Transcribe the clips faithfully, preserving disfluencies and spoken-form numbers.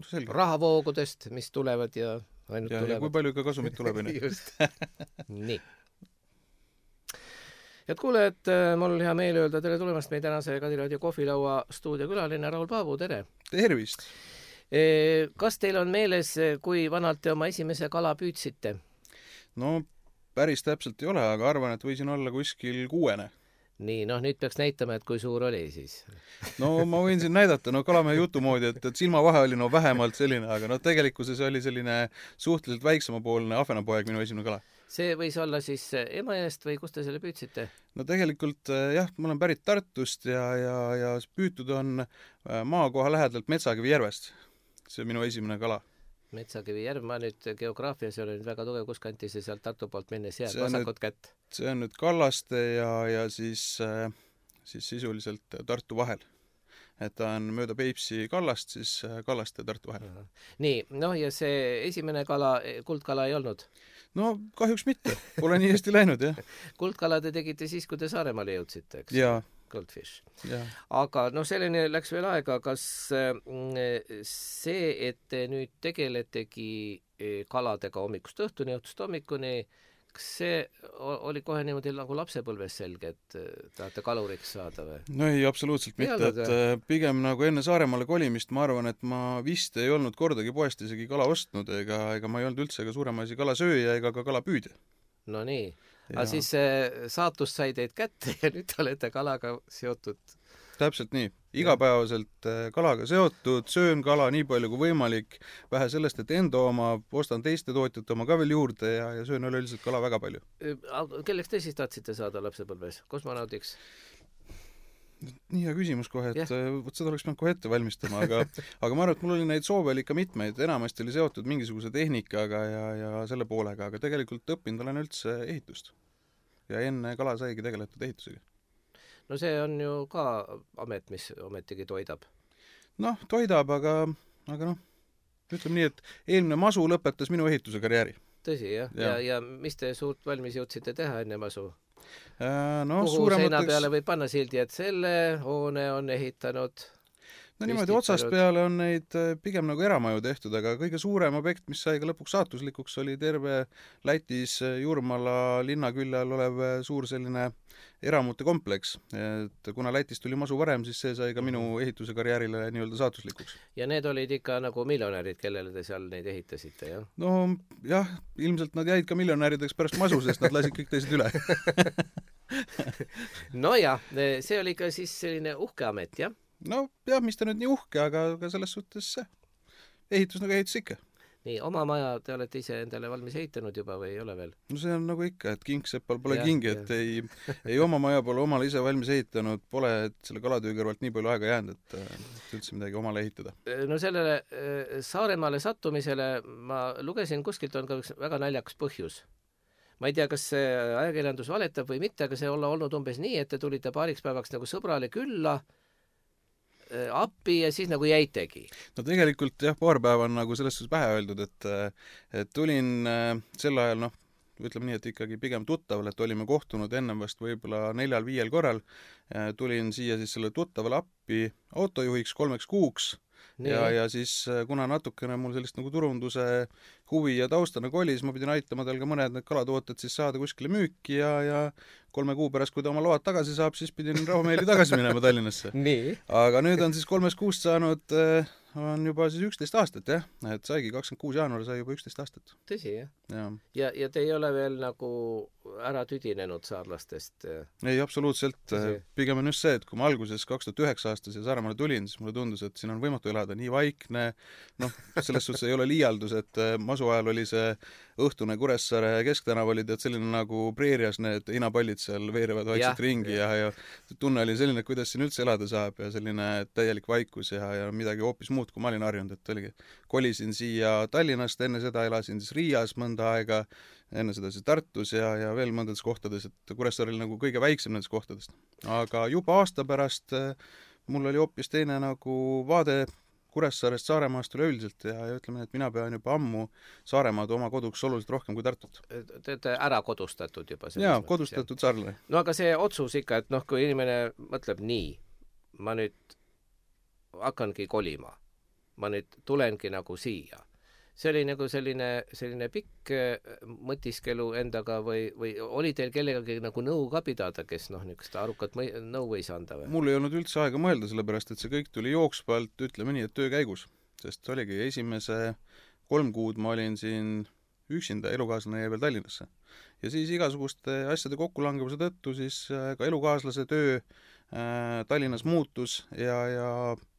Selge. rahavoogudest, mis tulevad ja ainult ja, tulevad. ja kui palju ka kasumit tuleb. Just. Nii. Head kuulejad, mul hea meel öelda tere tulemast meie tänase Kadiraadio kohvilaua stuudiokülaline Raul Paavu, tere! Tervist! Kas teil on meeles, kui vanalt te oma esimese kala püüdsite? No päris täpselt ei ole, aga arvan, et võisin olla kuskil kuuene. Nii, noh nüüd peaks näitama, et kui suur oli siis. No ma võin siin näidata, no kalamehe jutu moodi, et, et silma vahe oli no vähemalt selline, aga no tegelikkuses oli selline suhteliselt väiksemapoolne ahvenapoeg minu esimene kala. See võis olla siis Emajõest või kus te selle püüdsite? No tegelikult jah, ma olen pärit Tartust ja, ja, ja püütud on maakoha lähedalt Metsakivi järvest. See on minu esimene kala. Metsakivi järv, ma nüüd geograafias ei ole nüüd väga tugev, kus kanti see sealt Tartu poolt minnes jääb, vasakut kätt. See on nüüd Kallaste ja, ja siis, siis sisuliselt Tartu vahel. Et ta on mööda Peipsi Kallast, siis Kallaste ja Tartu vahel. Nii, noh ja see esimene kala, kuldkala ei olnud? No kahjuks mitte, pole nii hästi läinud, jah. Kuldkala te tegite siis, kui te Saaremaale jõudsite, eks? Jaa. Goldfish. Ja. Aga noh, selleni läks veel aega, kas see, et te nüüd tegeletegi kaladega hommikust õhtuni, õhtust hommikuni, kas see oli kohe niimoodi nagu lapsepõlves selge, et tahate kaluriks saada või? No ei, absoluutselt mitte, et pigem nagu enne Saaremaale kolimist ma arvan, et ma vist ei olnud kordagi poest isegi kala ostnud ega, ega ma ei olnud üldse ega suurema asi kalasööja ega ka kalapüüdja. No nii. Aga siis saatus sai teid kätte ja nüüd olete kalaga seotud. Täpselt nii. Igapäevaselt kalaga seotud, söön kala nii palju kui võimalik, vähe sellest, et enda oma, ostan teiste tootjate oma ka veel juurde ja, ja söön üleüldiselt kala väga palju. Kelleks te siis tahtsite saada lapsepõlves? Kosmonaudiks? Nii hea küsimus kohe, et võt seda oleks peanud kohe ette valmistama, aga, aga ma arvan, et mul oli neid soove oli ikka mitmeid, enamasti oli seotud mingisuguse tehnikaga ja, ja selle poolega, aga tegelikult õppinud olen üldse ehitust. Ja enne kala saigi tegeletud ehitusega. No see on ju ka amet, mis ometigi toidab. Noh, toidab, aga, aga noh, ütleme nii, et eelmine masu lõpetas minu ehituse karjääri. Tõsi, jah? Ja, ja, ja mis te suurt valmis jõudsite teha enne masu? No, kuhu suuremateks... seina peale võib panna sildi, et selle hoone on ehitanud? No niimoodi otsast peale on neid pigem nagu eramaju tehtud, aga kõige suurem objekt, mis sai ka lõpuks saatuslikuks, oli terve Lätis Jurmala linna külje all olev suur selline eramute kompleks. Et kuna Lätist tuli masu varem, siis see sai ka minu ehituse karjäärile nii-öelda saatuslikuks. Ja need olid ikka nagu miljonärid, kellele te seal neid ehitasite, jah? No jah, ilmselt nad jäid ka miljonärideks pärast masu, sest nad lasid kõik teised üle. No jah, see oli ka siis selline uhke amet, jah? No jah, mis ta nüüd nii uhke, aga, aga selles suhtes see ehitus nagu ehitus ikka. Nii, oma maja te olete ise endale valmis ehitanud juba või ei ole veel? No see on nagu ikka, et kingsepal pole ja, kingi, et ja. ei, ei oma maja pole omale ise valmis ehitanud, pole et selle kalatöö kõrvalt nii palju aega jäänud, et, et üldse midagi omale ehitada. No sellele Saaremaale sattumisele ma lugesin kuskilt on ka üks väga naljakas põhjus. Ma ei tea, kas see ajakirjandus valetab või mitte, aga see olla olnud umbes nii, et te tulite paariks päevaks nagu sõbrale külla appi ja siis nagu jäitegi. No tegelikult jah, paar päeva on nagu selles suhtes pähe öeldud, et, et tulin sel ajal, noh, ütleme nii, et ikkagi pigem tuttaval, et olime kohtunud ennem vast võib-olla neljal-viiel korral, tulin siia siis selle tuttavale appi autojuhiks kolmeks kuuks nii. ja, ja siis kuna natukene mul sellist nagu turunduse huvi ja tausta nagu oli, siis ma pidin aitama tal ka mõned need kalatooted siis saada kuskile müüki ja, ja kolme kuu pärast, kui ta oma load tagasi saab, siis pidin rahumeeli tagasi minema Tallinnasse. Aga nüüd on siis kolmest kuust saanud, on juba siis üksteist aastat, jah, et saigi kakskümmend kuus jaanuar sai juba üksteist aastat. Tõsi, jah? Ja. Ja, ja te ei ole veel nagu ära tüdinenud saarlastest? Ei, absoluutselt. Tõsi. Pigem on just see, et kui ma alguses kaks tuhat üheksa aastas ja Saaremaale tulin, siis mulle tundus, et siin on võimatu elada nii vaikne, noh, selles suhtes ei ole liialdus, et masu ajal oli see õhtune Kuressaare Kesktänav oli tead selline nagu preerias need hinapallid seal veerevad vaikselt ringi ja, ja tunne oli selline, kuidas siin üldse elada saab ja selline täielik vaikus ja, ja midagi hoopis muud, kui ma olin harjunud, et oligi. Kolisin siia Tallinnast, enne seda elasin siis Riias mõnda aega, enne seda siis Tartus ja, ja veel mõndades kohtades, et Kuressaare oli nagu kõige väiksem nendest kohtadest. Aga juba aasta pärast mul oli hoopis teine nagu vaade Kuressaarest Saaremaast üleüldiselt ja, ja ütleme, et mina pean juba ammu Saaremaad oma koduks oluliselt rohkem kui Tartut. Te olete ära kodustatud juba? Jaa, kodustatud saarlane. No aga see otsus ikka, et noh, kui inimene mõtleb nii, ma nüüd hakkangi kolima, ma nüüd tulengi nagu siia. See oli nagu selline, selline pikk mõtiskelu endaga või, või oli teil kellegagi nagu nõu ka pidada, kes noh, niisugust arukat mõi, nõu võis anda või? Mul ei olnud üldse aega mõelda, sellepärast et see kõik tuli jooksvalt, ütleme nii, et töö käigus. Sest oligi esimese kolm kuud ma olin siin üksinda, elukaaslane jäi veel Tallinnasse. Ja siis igasuguste asjade kokkulangevuse tõttu siis ka elukaaslase töö äh, Tallinnas muutus ja, ja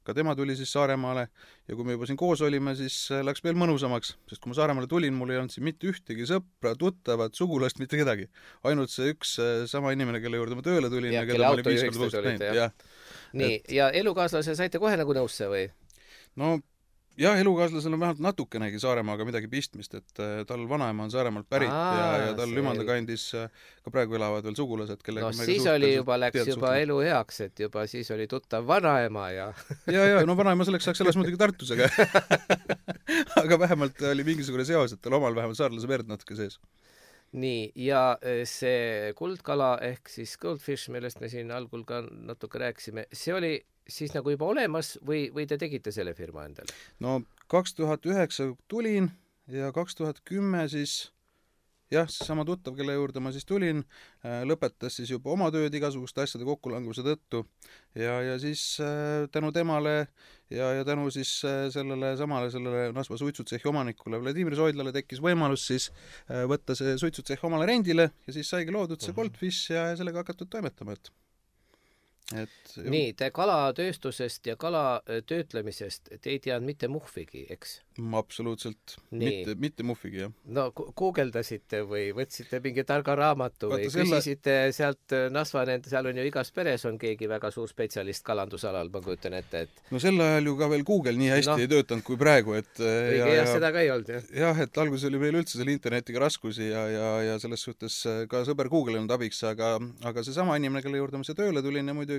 ka tema tuli siis Saaremaale ja kui me juba siin koos olime, siis läks veel mõnusamaks, sest kui ma Saaremaale tulin, mul ei olnud siin mitte ühtegi sõpra, tuttavat, sugulast, mitte kedagi. Ainult see üks sama inimene, kelle juurde ma tööle tulin ja, ja kelle auto juhiks te olite, jah. Nii, et... ja elukaaslase saite kohe nagu nõusse või? No jah, elukaaslasel on vähemalt natukenegi Saaremaaga midagi pistmist, et tal vanaema on Saaremaalt pärit Aa, ja, ja tal Lümanda kandis ka praegu elavad veel sugulased, kellega no siis oli juba, läks juba suhtlema. Elu heaks, et juba siis oli tuttav vanaema ja ja, ja, no vanaema selleks saaks elas muidugi Tartus, aga aga vähemalt oli mingisugune seos, et tal omal vähemalt saarlase verd natuke sees. Nii, ja see kuldkala ehk siis goldfish, millest me siin algul ka natuke rääkisime, see oli siis nagu juba olemas või, või te tegite selle firma endale? No kaks tuhat üheksa tulin ja kaks tuhat kümme siis jah, seesama tuttav, kelle juurde ma siis tulin, lõpetas siis juba oma tööd igasuguste asjade kokkulanguse tõttu ja, ja siis tänu temale ja, ja tänu siis sellele samale sellele Nasva suitsutsehhi omanikule Vladimir Soidlale tekkis võimalus siis võtta see suitsutsehh omale rendile ja siis saigi loodud see Goldfish ja sellega hakatud toimetama, et Et, nii, te kalatööstusest ja kala töötlemisest te ei teadnud mitte muhvigi, eks? Absoluutselt. Mitte, mitte muhvigi, jah. No guugeldasite või võtsite mingi targa raamatu Vaata või selle... küsisite sealt Nasva, seal on ju igas peres on keegi väga suur spetsialist kalandusalal, ma kujutan ette, et no sel ajal ju ka veel Google nii hästi no. ei töötanud kui praegu, et õige, ja, jah, seda ka ei olnud, jah. Jah, et alguses oli meil üldse selle internetiga raskusi ja, ja, ja selles suhtes ka sõber Google ei olnud abiks, aga, aga see sama inimene, kelle juurde ma see tööle tulin ja muidugi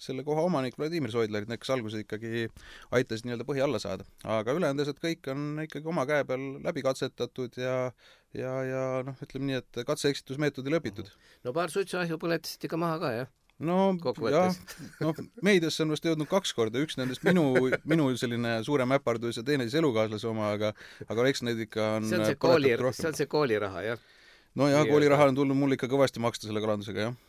selle koha omanik Vladimir Soidler, kes alguses ikkagi aitas nii-öelda põhi alla saada. Aga ülejäänud kõik on ikkagi oma käe peal läbi katsetatud ja, ja, ja noh, ütleme nii, et katse-eksitusmeetodil õpitud. No paar suitsuahju põletasite ka maha ka, jah? No jah, no meediasse on vast jõudnud kaks korda, üks nendest minu, minu selline suurem äpardus ja teine siis elukaaslase oma, aga, aga eks need ikka on see on see, kooli, see, on see kooliraha, jah? No jah, kooliraha on tulnud mul ikka kõvasti maksta selle kalandusega, jah.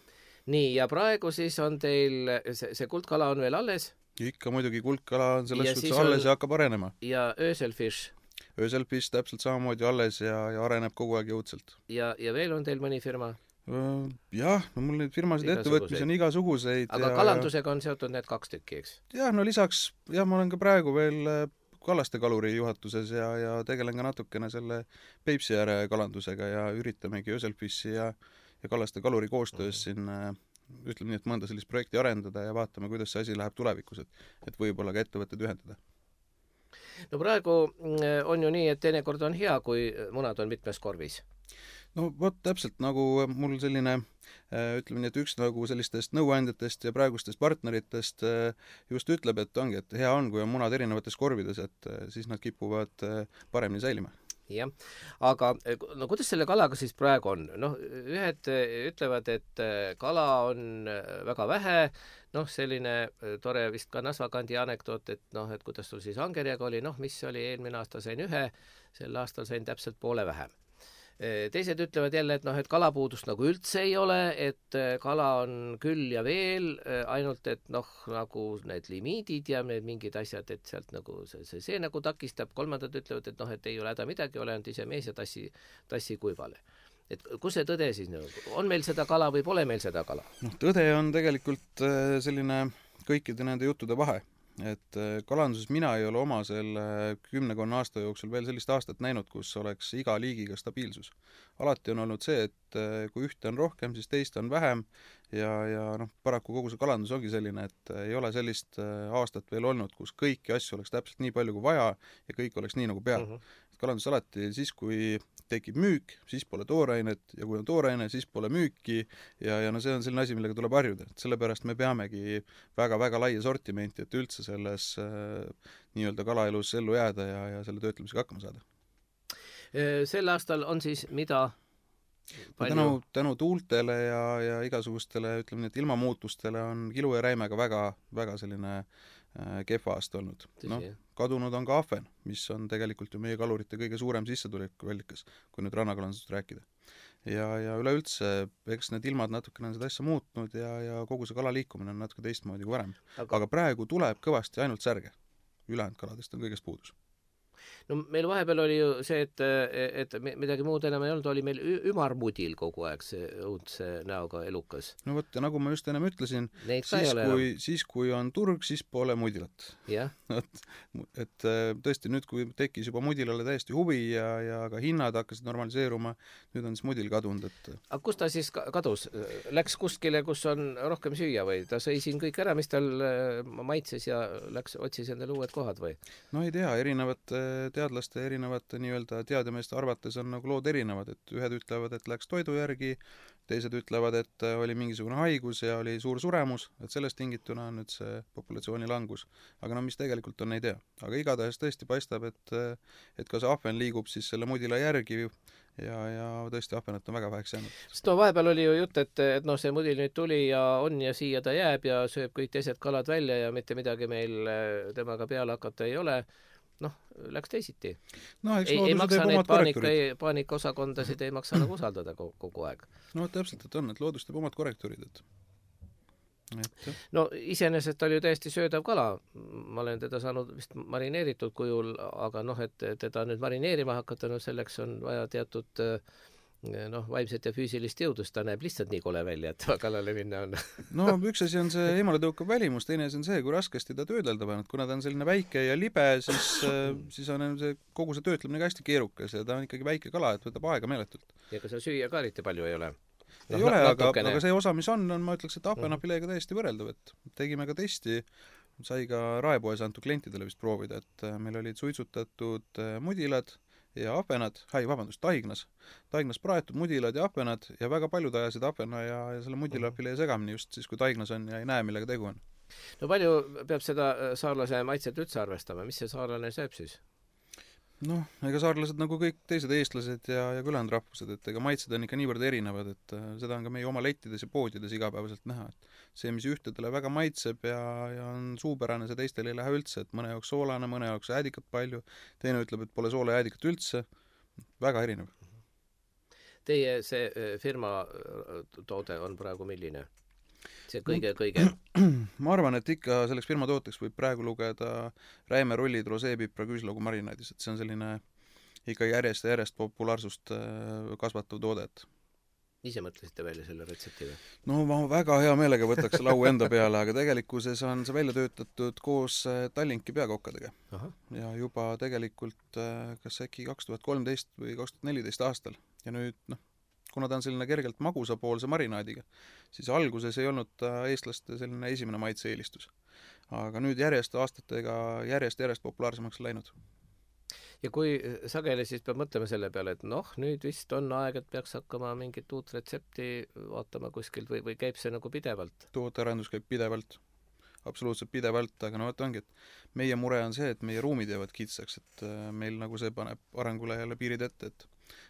Nii, ja praegu siis on teil, see, see kuldkala on veel alles? Ikka muidugi kuldkala on selles suhtes alles on... ja hakkab arenema. Ja ööselfish? Ööselfish täpselt samamoodi alles ja, ja areneb kogu aeg jõudsalt. Ja, ja veel on teil mõni firma? Jah, no mul neid firmasid ettevõtmisi on igasuguseid. Aga ja, kalandusega on seotud need kaks tükki, eks? Jah, no lisaks, jah, ma olen ka praegu veel Kallaste kaluri juhatuses ja, ja tegelen ka natukene selle Peipsi ääre kalandusega ja üritamegi ööselfishi ja ja Kallaste kaluri koostöös siin ütleme nii, et mõnda sellist projekti arendada ja vaatame, kuidas see asi läheb tulevikus, et, et võib-olla ka ettevõtted ühendada. No praegu on ju nii, et teinekord on hea, kui munad on mitmes korvis. No vot täpselt nagu mul selline, ütleme nii, et üks nagu sellistest nõuandjatest ja praegustest partneritest just ütleb, et ongi, et hea on, kui on munad erinevates korvides, et siis nad kipuvad paremini säilima. Jah, aga no kuidas selle kalaga siis praegu on? Noh, ühed ütlevad, et kala on väga vähe, noh, selline tore vist ka Nasva kandi anekdoot, et noh, et kuidas sul siis angerjaga oli, noh, mis oli eelmine aasta sain ühe, sel aastal sain täpselt poole vähem. Teised ütlevad jälle, et noh, et kalapuudust nagu üldse ei ole, et kala on küll ja veel, ainult et noh, nagu need limiidid ja need mingid asjad, et sealt nagu see, see, see nagu takistab, kolmandad ütlevad, et noh, et ei ole häda midagi, ole ainult ise mees ja tassi, tassi kuivale. Et kus see tõde siis nagu, on meil seda kala või pole meil seda kala? Noh, tõde on tegelikult selline kõikide nende juttude vahe. Et kalanduses mina ei ole oma selle kümnekonna aasta jooksul veel sellist aastat näinud, kus oleks iga liigiga stabiilsus. Alati on olnud see, et kui ühte on rohkem, siis teist on vähem ja, ja noh, paraku kogu see kalandus ongi selline, et ei ole sellist aastat veel olnud, kus kõiki asju oleks täpselt nii palju kui vaja ja kõik oleks nii nagu peal. Uh-huh. Kalandus alati siis, kui tekib müük, siis pole toorainet ja kui on tooraine, siis pole müüki ja, ja no see on selline asi, millega tuleb harjuda. Sellepärast me peamegi väga-väga laia sortimenti, et üldse selles äh, nii-öelda kalaelus ellu jääda ja, ja selle töötlemisega hakkama saada. Sel aastal on siis mida? Tänu, tänu tuultele ja, ja igasugustele, ütleme nii, et ilmamuutustele on kilu ja räimega väga, väga selline kehva aasta olnud. No, kadunud on ka ahven, mis on tegelikult ju meie kalurite kõige suurem sissetuleku allikas, kui nüüd rannakalandusest rääkida. Ja, ja üleüldse, eks need ilmad natukene on seda asja muutnud ja, ja kogu see kala liikumine on natuke teistmoodi kui varem. Aga, Aga praegu tuleb kõvasti ainult särge. Ülejäänud kaladest on kõigest puudus. No meil vahepeal oli ju see, et, et midagi muud enam ei olnud, oli meil ümarmudil kogu aeg see õudse näoga elukas. No võt, ja nagu ma just ennem ütlesin, siis kui, siis kui on turg, siis pole mudilat. Yeah. et, et tõesti nüüd, kui tekkis juba mudilale täiesti huvi ja, ja ka hinnad hakkasid normaliseeruma, nüüd on siis mudil kadunud. Et... Aga kus ta siis kadus? Läks kuskile, kus on rohkem süüa või? Ta sõi siin kõik ära, mis tal maitses ja läks, otsis endale uued kohad või? No ei tea, erinevad teadlaste erinevate nii-öelda teademeeste arvates on nagu lood erinevad, et ühed ütlevad, et läks toidu järgi, teised ütlevad, et oli mingisugune haigus ja oli suur suremus, et sellest tingituna on nüüd see populatsiooni langus. Aga no mis tegelikult on, ei tea. Aga igatahes tõesti paistab, et, et ka see ahven liigub siis selle mudila järgi ja, ja tõesti ahvenat on väga väheks jäänud. Sest no vahepeal oli ju jutt, et, et noh, see mudil nüüd tuli ja on ja siia ta jääb ja sööb kõik teised kalad välja ja mitte midagi meil temaga peale hakata ei ole. Noh, läks teisiti. No, ei, ei maksa neid paanika, paanikaosakondasid ei maksa nagu usaldada kogu aeg. No täpselt, et on, et loodus teeb omad korrektuurid. Et... Et... No iseenesest oli ju täiesti söödav kala. Ma olen teda saanud vist marineeritud kujul, aga noh, et teda nüüd marineerima hakata, no selleks on vaja teatud noh, vaimset ja füüsilist jõudust, ta näeb lihtsalt nii kole välja, et kallale minna on. No üks asi on see eemale tõukav välimus, teine asi on see, kui raskesti ta töödelda pannud. Kuna ta on selline väike ja libe, siis, siis on see, kogu see töötlemine ka hästi keerukas ja ta on ikkagi väike kala, et võtab aega meeletult. Ja ka see süüa ka eriti palju ei ole. Ei no, ole, aga, aga see osa, mis on, on ma ütleks, et ahvenafileega täiesti võrreldav, et tegime ka testi, sai ka raepoes antud klientidele vist proovida, et meil olid suitsutatud mudilad ja ahvenad, hai, vabandust, taignas. Taignas praetud mudilad ja ahvenad ja väga paljud ajasid ahvena ja, ja selle mudilafilee segamini just siis, kui taignas on ja ei näe, millega tegu on. No palju peab seda saarlase maitset üldse arvestama? Mis see saarlane sööb siis? Noh, ega saarlased nagu kõik teised eestlased ja, ja külanud rahvused, et ega maitsed on ikka niivõrd erinevad, et äh, seda on ka meie oma lettides ja poodides igapäevaselt näha, et see, mis ühtedele väga maitseb ja, ja on suupärane, see teistele ei lähe üldse, et mõne jaoks soolane, mõne jaoks äädikat palju, teine ütleb, et pole soola äädikat üldse, väga erinev. Teie see firma toode on praegu milline? See kõige, kõige? Ma arvan, et ikka selleks firma tooteks võib praegu lugeda räime rullid roseepipra küüslaugu marinaadis, et see on selline ikka järjest ja järjest populaarsust kasvatav toodet. Ise mõtlesite välja selle retsepti või? No ma väga hea meelega võtaks lau enda peale, aga tegelikkuses on see välja töötatud koos Tallinki peakokkadega. Aha. Ja juba tegelikult kas äkki kaks tuhat kolmteist või kaks tuhat neliteist aastal ja nüüd noh, kuna ta on selline kergelt magusapoolse marinaadiga, siis alguses ei olnud ta eestlaste selline esimene maitse-eelistus. Aga nüüd järjest aastatega järjest-järjest populaarsemaks läinud. Ja kui sageli siis peab mõtlema selle peale, et noh, nüüd vist on aeg, et peaks hakkama mingit uut retsepti vaatama kuskilt või, või käib see nagu pidevalt? Tootearendus käib pidevalt, absoluutselt pidevalt, aga no et ongi, et meie mure on see, et meie ruumid jäävad kitsaks, et meil nagu see paneb arengule jälle piirid ette, et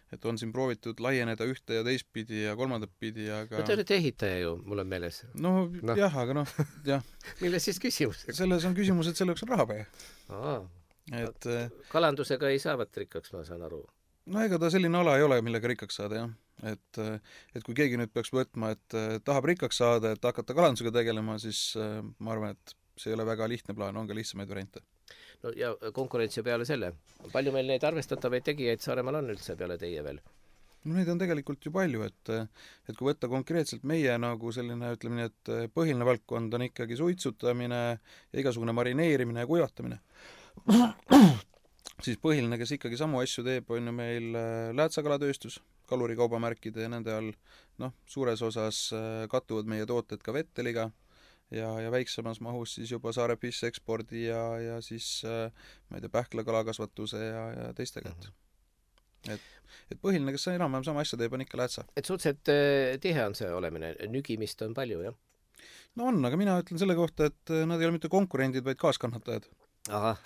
et on siin proovitud laieneda ühte ja teistpidi ja kolmandat pidi, aga... No te olete ehitaja ju, mul on meeles. No, no. jah, aga noh, jah. Milles siis küsimus? Selles on küsimus, et selleks on raha vaja. Aa, et... Kalandusega ei saavat rikkaks, ma saan aru. No ega ta selline ala ei ole, millega rikkaks saada, jah. Et, et kui keegi nüüd peaks võtma, et tahab rikkaks saada, et hakata kalandusega tegelema, siis ma arvan, et see ei ole väga lihtne plaan, on ka lihtsamaid variante. No ja konkurentsi peale selle. Palju meil neid arvestatavaid tegijaid Saaremaal on üldse peale teie veel? No neid on tegelikult ju palju, et, et kui võtta konkreetselt meie nagu selline, ütleme nii, et põhiline valdkond on ikkagi suitsutamine ja igasugune marineerimine ja kuivatamine, siis põhiline, kes ikkagi samu asju teeb, on ju meil läätsakalatööstus, kalurikaubamärkide ja nende all, noh, suures osas kattuvad meie tooted ka Vetteliga, ja, ja väiksemas mahus siis juba Saare Fish ekspordi ja, ja siis ma ei tea, Pähkla kalakasvatuse ja, ja teistega. Et, et põhiline, kes enam-vähem sama asja teeb, on ikka läätsa. Et suhteliselt tihe on see olemine, nügimist on palju, jah? No on, aga mina ütlen selle kohta, et nad ei ole mitte konkurendid, vaid kaaskannatajad. Aha.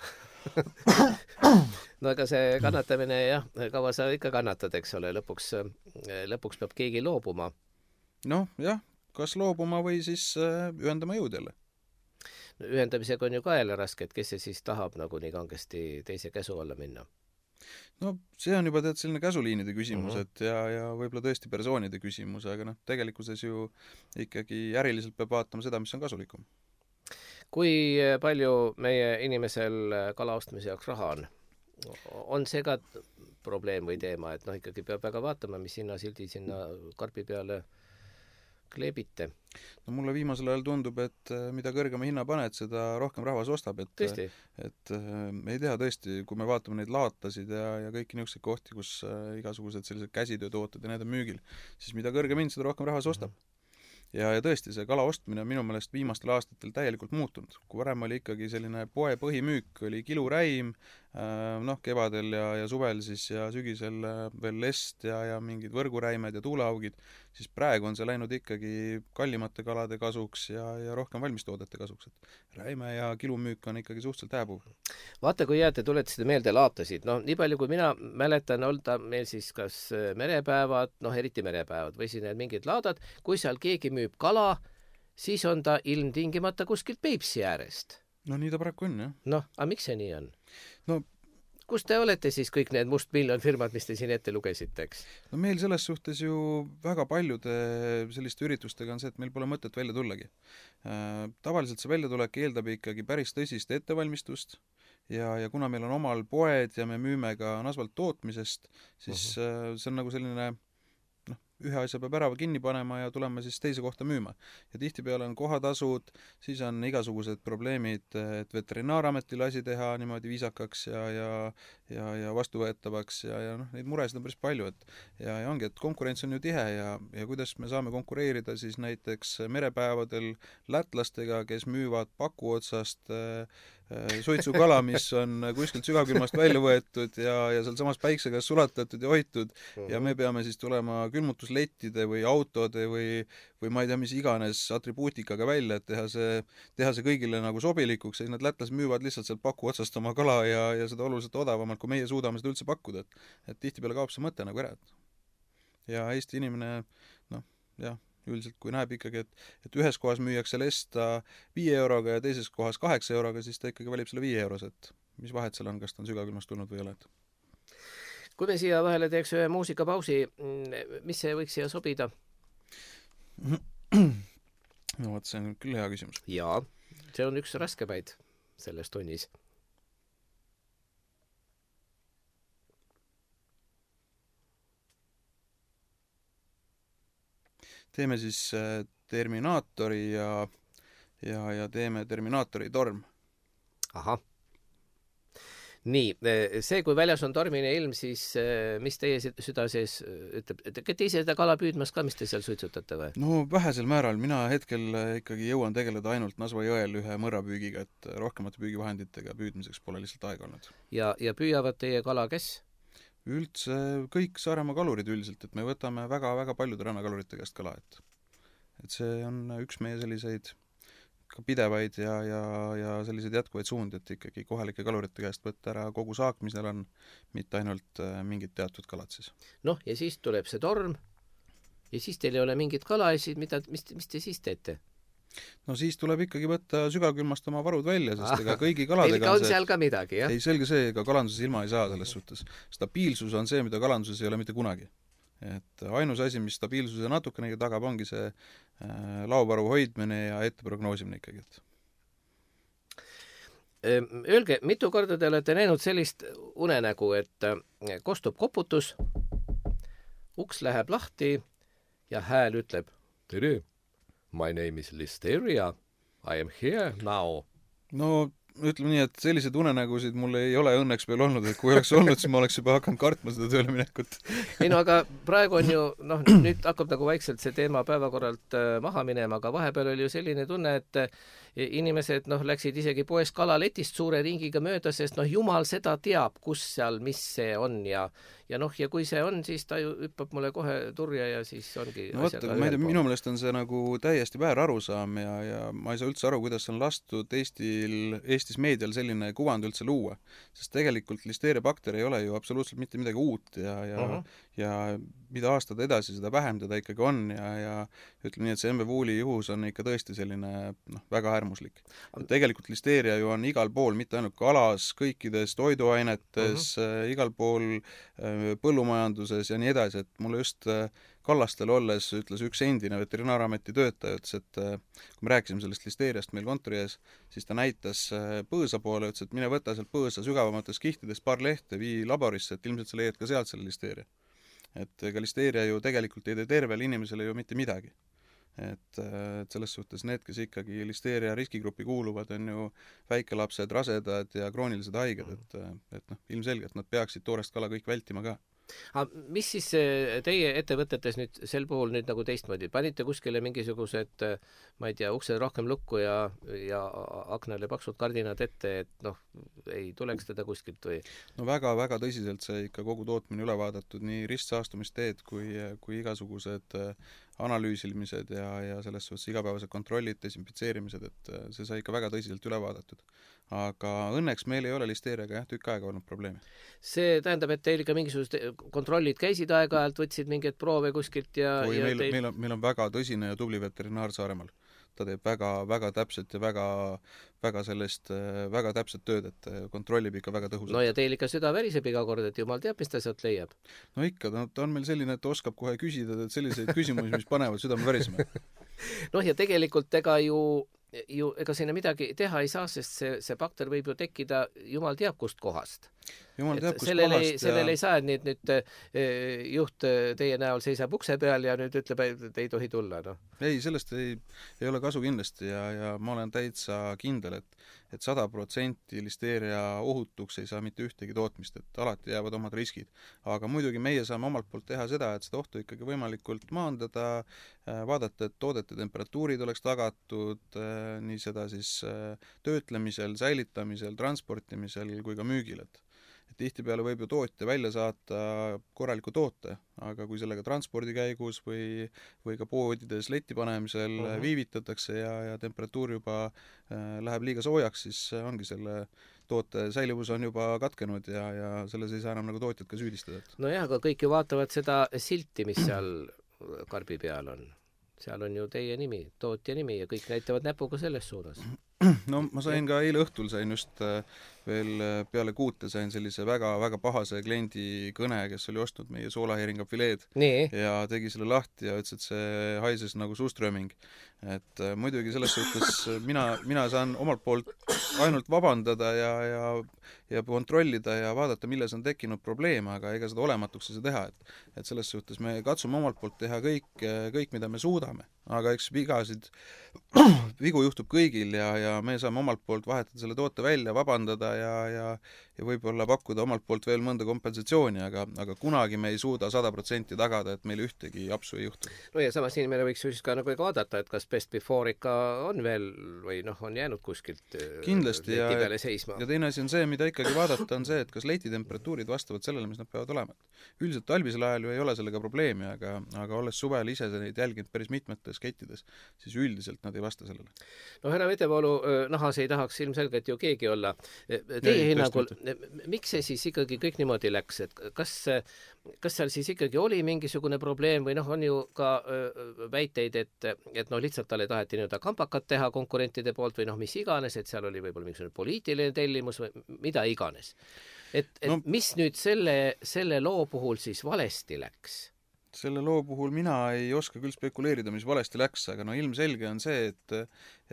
No aga see kannatamine, jah, kaua sa ikka kannatad, eks ole, lõpuks, lõpuks peab keegi loobuma. Noh, jah. Kas loobuma või siis ühendama jõud jälle? ühendamisega on ju ka jälle raske, et kes see siis tahab nagu nii kangesti teise käsu alla minna? No see on juba tead selline käsuliinide küsimus, Mhm. et ja, ja võib-olla tõesti persoonide küsimus, aga noh, tegelikkuses ju ikkagi äriliselt peab vaatama seda, mis on kasulikum. Kui palju meie inimesel kala ostmise jaoks raha on? On see ka probleem või teema, et noh, ikkagi peab väga vaatama, mis hinnasildi sinna karbi peale kleebite? No mulle viimasel ajal tundub, et äh, mida kõrgema hinna paned, seda rohkem rahvas ostab, et Tõesti? et äh, ei tea tõesti, kui me vaatame neid laatasid ja, ja kõiki niisuguseid kohti, kus äh, igasugused sellised käsitöötooted ja need on müügil, siis mida kõrgem hind, seda rohkem rahvas ostab. Ja, ja tõesti, see kala ostmine on minu meelest viimastel aastatel täielikult muutunud. Kui varem oli ikkagi selline poe põhimüük, oli kiluräim, noh, kevadel ja, ja suvel siis ja sügisel veel lest ja, ja mingid võrguräimed ja tuuleaugid, siis praegu on see läinud ikkagi kallimate kalade kasuks ja, ja rohkem valmistoodete kasuks. Et räime ja kilumüük on ikkagi suhteliselt hääbuv. Vaata, kui jääte, tuletasite meelde laatasid. No nii palju, kui mina mäletan, olda meil siis kas merepäevad, noh eriti merepäevad või siin mingid laadad, kui seal keegi müüb kala, siis on ta ilmtingimata kuskilt Peipsi äärest. No nii ta paraku on, jah. Noh, aga miks see nii on? No kus te olete siis kõik need mustmiljon firmad, mis te siin ette lugesite, eks? No meil selles suhtes ju väga paljude selliste üritustega on see, et meil pole mõtet välja tullagi. Tavaliselt see väljatulek eeldab ikkagi päris tõsist ettevalmistust ja, ja kuna meil on omal poed ja me müüme ka nasvalt tootmisest, siis uh-huh. see on nagu selline noh, ühe asja peab ära kinni panema ja tulema siis teise kohta müüma. Ja tihtipeale on kohatasud, siis on igasugused probleemid, et veterinaarametil asi teha niimoodi viisakaks ja, ja, ja, ja vastuvõetavaks ja, ja noh, neid muresid on päris palju, et ja, ja ongi, et konkurents on ju tihe ja, ja kuidas me saame konkureerida siis näiteks merepäevadel lätlastega, kes müüvad paku otsast äh, suitsukala, mis on kuskilt sügavkülmast välja võetud ja, ja seal samas päikse käes sulatatud ja hoitud ja me peame siis tulema külmutuslettide või autode või, või ma ei tea, mis iganes atribuutikaga välja, et teha see, teha see kõigile nagu sobilikuks, siis need lätlased müüvad lihtsalt sealt paku otsast oma kala ja, ja seda oluliselt odavamalt, kui meie suudame seda üldse pakkuda, et, et tihtipeale kaob see mõte nagu ära. Ja Eesti inimene, noh, jah, üldiselt kui näeb ikkagi, et, et ühes kohas müüakse lesta viie euroga ja teises kohas kaheksa euroga, siis ta ikkagi valib selle viie euros, et mis vahet seal on, kas ta on sügavkülmast tulnud või ei ole. Kui me siia vahele teeks ühe muusikapausi, mis see võiks siia sobida? No vot, see on küll hea küsimus. Jaa, see on üks raskemaid selles tunnis. Teeme siis Terminaatori ja, ja, ja teeme Terminaatori torm. Aha. Nii, see, kui väljas on tormine ilm, siis mis teie süda sees ütleb, et te ise seda kala püüdmas ka, mis te seal suitsutate või? No vähesel määral, mina hetkel ikkagi jõuan tegeleda ainult Nasva jõel ühe mõrrapüügiga, et rohkemate püügivahenditega püüdmiseks pole lihtsalt aega olnud. Ja, ja püüavad teie kala kes? Üldse kõik Saaremaa kalurid üldiselt, et me võtame väga-väga paljude rannakalurite käest kala, et, et see on üks meie selliseid ka pidevaid ja, ja, ja selliseid jätkuvaid suundi, et ikkagi kohalike kalurite käest võtta ära kogu saak, mis neil on, mitte ainult mingid teatud kalad siis. Noh, ja siis tuleb see torm ja siis teil ei ole mingit kala ja siis mida, mis, mis te siis teete? No siis tuleb ikkagi võtta sügavkülmast oma varud välja, sest ega kõigi kaladega on, on seal ka midagi, jah? Ei, selge see, ega kalanduses ilma ei saa selles suhtes. Stabiilsus on see, mida kalanduses ei ole mitte kunagi. Et ainus asi, mis stabiilsuse natukenegi tagab, ongi see äh, laovaru hoidmine ja ette prognoosimine ikkagi. Öelge, mitu korda te olete näinud sellist unenägu, et kostub koputus, uks läheb lahti ja hääl ütleb, tere! My name is Listeria. I am here now. No ütleme nii, et sellised unenägusid mul ei ole õnneks veel olnud, et kui oleks olnud, siis ma oleks juba hakanud kartma seda tööle minekut. Ei no aga praegu on ju, noh, nüüd hakkab nagu vaikselt see teema päevakorralt maha minema, aga vahepeal oli ju selline tunne, et inimesed noh, läksid isegi poes kalaletist suure ringiga mööda, sest noh, jumal seda teab, kus seal, mis see on ja ja noh, ja kui see on, siis ta ju hüppab mulle kohe turja ja siis ongi no võtta, ma ei tea, minu meelest on see nagu täiesti väär arusaam ja, ja ma ei saa üldse aru, kuidas on lastud Eestil, Eestis meedial selline kuvand üldse luua, sest tegelikult listeeria bakter ei ole ju absoluutselt mitte midagi uut ja, ja, uh-huh. ja mida aastad edasi, seda vähem teda ikkagi on ja, ja ütleme nii, et see M V Wooli juhus on ikka tõesti selline noh, väga äärmuslik. Et tegelikult listeeria ju on igal pool, mitte ainult kalas, kõikides toiduainetes uh, -huh. igal pool põllumajanduses ja nii edasi, et mulle just Kallastel olles ütles üks endine veterinaarameti töötaja, ütles, et kui me rääkisime sellest listeeriast meil kontori ees, siis ta näitas põõsa poole, ütles, et mine võta sealt põõsa sügavamates kihtides paar lehte, vii laborisse, et ilmselt sa leiad ka sealt selle listeeria. Et ega listeeria ju tegelikult ei tee tervele inimesele ju mitte midagi. Et, et selles suhtes need, kes ikkagi listeeria riskigruppi kuuluvad, on ju väikelapsed, rasedad ja kroonilised haiged, et, et noh, ilmselgelt nad peaksid toorest kala kõik vältima ka. Aga mis siis teie ettevõtetes nüüd sel puhul nüüd nagu teistmoodi? Panite kuskile mingisugused, ma ei tea, uksed rohkem lukku ja, ja aknale paksud kardinad ette, et noh, ei tuleks teda kuskilt või? No väga-väga tõsiselt see ikka kogu tootmine üle vaadatud, nii ristsaastumisteed kui, kui igasugused analüüsimised ja, ja selles suhtes igapäevased kontrollid, desinfitseerimised, et see sai ikka väga tõsiselt üle vaadatud. Aga õnneks meil ei ole listeeriaga jah, tükk aega olnud probleemi. See tähendab, et teil ikka mingisugused kontrollid käisid aeg-ajalt, võtsid mingeid proove kuskilt ja... Või ja meil, teil... meil, on, meil on väga tõsine ja tubli veterinaar Saaremaal. Ta teeb väga, väga täpselt ja väga, väga sellist, väga täpset tööd, et kontrollib ikka väga tõhusalt. No ja teil ikka süda väriseb iga kord, et jumal teab, mis ta sealt leiab. No ikka, ta, ta on meil selline, et oskab kohe küsida, et selliseid küsimusi, mis panevad südame värisema. Noh ja tegelikult ega ju ju ega sinna midagi teha ei saa, sest see, see bakter võib ju tekkida jumal teab kust kohast. Jumal teab kust sellel kohast ei, sellel ja... ei saa, et nüüd, nüüd juht teie näol seisab ukse peal ja nüüd ütleb, et ei tohi tulla. No. Ei, sellest ei, ei ole kasu kindlasti ja, ja ma olen täitsa kindel, et et sada protsenti listeeria ohutuks ei saa mitte ühtegi tootmist, et alati jäävad omad riskid. Aga muidugi meie saame omalt poolt teha seda, et seda ohtu ikkagi võimalikult maandada, vaadata, et toodete temperatuurid oleks tagatud, nii seda siis töötlemisel, säilitamisel, transportimisel kui ka müügil, et et tihtipeale võib ju tootja välja saata korraliku toote, aga kui sellega transpordi käigus või, või ka poodides leti panemisel uh -huh. viivitatakse ja, ja temperatuur juba äh, läheb liiga soojaks, siis ongi selle toote säilivus on juba katkenud ja, ja selles ei saa enam nagu tootjat ka süüdistada. Nojah, aga kõik ju vaatavad seda silti, mis seal karbi peal on. Seal on ju teie nimi, tootja nimi ja kõik näitavad näpuga selles suunas. No ma sain ka eile õhtul, sain just veel peale kuute sain sellise väga-väga pahase kliendi kõne, kes oli ostnud meie soolaheeringa fileed Nii. ja tegi selle lahti ja ütles, et see haises nagu suuströmming. Et muidugi selles suhtes mina, mina saan omalt poolt ainult vabandada ja, ja, ja kontrollida ja vaadata, milles on tekkinud probleem, aga ega seda olematuks ei saa teha. Et, et selles suhtes me katsume omalt poolt teha kõik, kõik, mida me suudame. Aga eks vigasid, vigu juhtub kõigil ja, ja me saame omalt poolt vahetada selle toote välja, vabandada ja, ja, ja võib-olla pakkuda omalt poolt veel mõnda kompensatsiooni, aga, aga kunagi me ei suuda sada protsenti tagada, et meil ühtegi apsu ei juhtu. No ja samas inimene võiks just ka nagu vaadata, et kas best before ikka on veel või noh, on jäänud kuskilt kindlasti leti peale seisma. Ja teine asi on see, mida ikkagi vaadata, on see, et kas leti temperatuurid vastavad sellele, mis nad peavad olema. Üldiselt talvisel ajal ju ei ole sellega probleemi, aga, aga olles suvel ise neid jälginud päris mitmetes kettides, siis üldiselt nad ei vasta sellele. No härra Vetevoolu nahas ei tahaks ilmselgelt ju keegi olla. Teie hinnangul, miks see siis ikkagi kõik niimoodi läks, et kas, kas seal siis ikkagi oli mingisugune probleem või noh, on ju ka väiteid, et, et noh, lihtsalt talle taheti nii-öelda kampakat teha konkurentide poolt või noh, mis iganes, et seal oli võib-olla mingisugune poliitiline tellimus või mida iganes. Et, et no, mis nüüd selle, selle loo puhul siis valesti läks? Selle loo puhul mina ei oska küll spekuleerida, mis valesti läks, aga no ilmselge on see, et,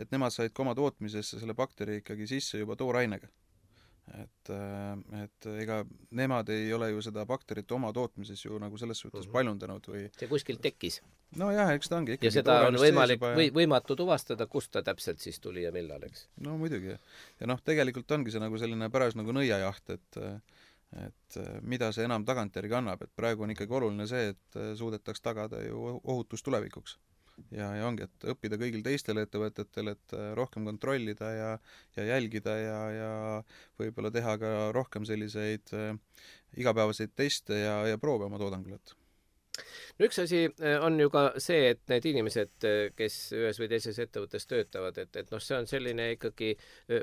et nemad said ka oma tootmisesse selle bakteri ikkagi sisse juba toorainega. Et, et ega nemad ei ole ju seda bakterit oma tootmises ju nagu selles suhtes mm-hmm. paljundanud või... See kuskilt tekkis. No jah, eks ta ongi ikkagi ja seda on võimalik ja... või, võimatu tuvastada, kust ta täpselt siis tuli ja millal, eks? No muidugi. Ja noh, tegelikult ongi see nagu selline päras nagu nõiajaht, et et mida see enam tagantjärgi annab, et praegu on ikkagi oluline see, et suudetaks tagada ju ohutus tulevikuks. Ja, ja ongi, et õppida kõigil teistel ettevõtetel, et rohkem kontrollida ja, ja jälgida ja, ja võib-olla teha ka rohkem selliseid igapäevaseid teste ja, ja proove oma toodangul. no üks asi on ju ka see, et need inimesed, kes ühes või teises ettevõttes töötavad, et, et noh, see on selline ikkagi,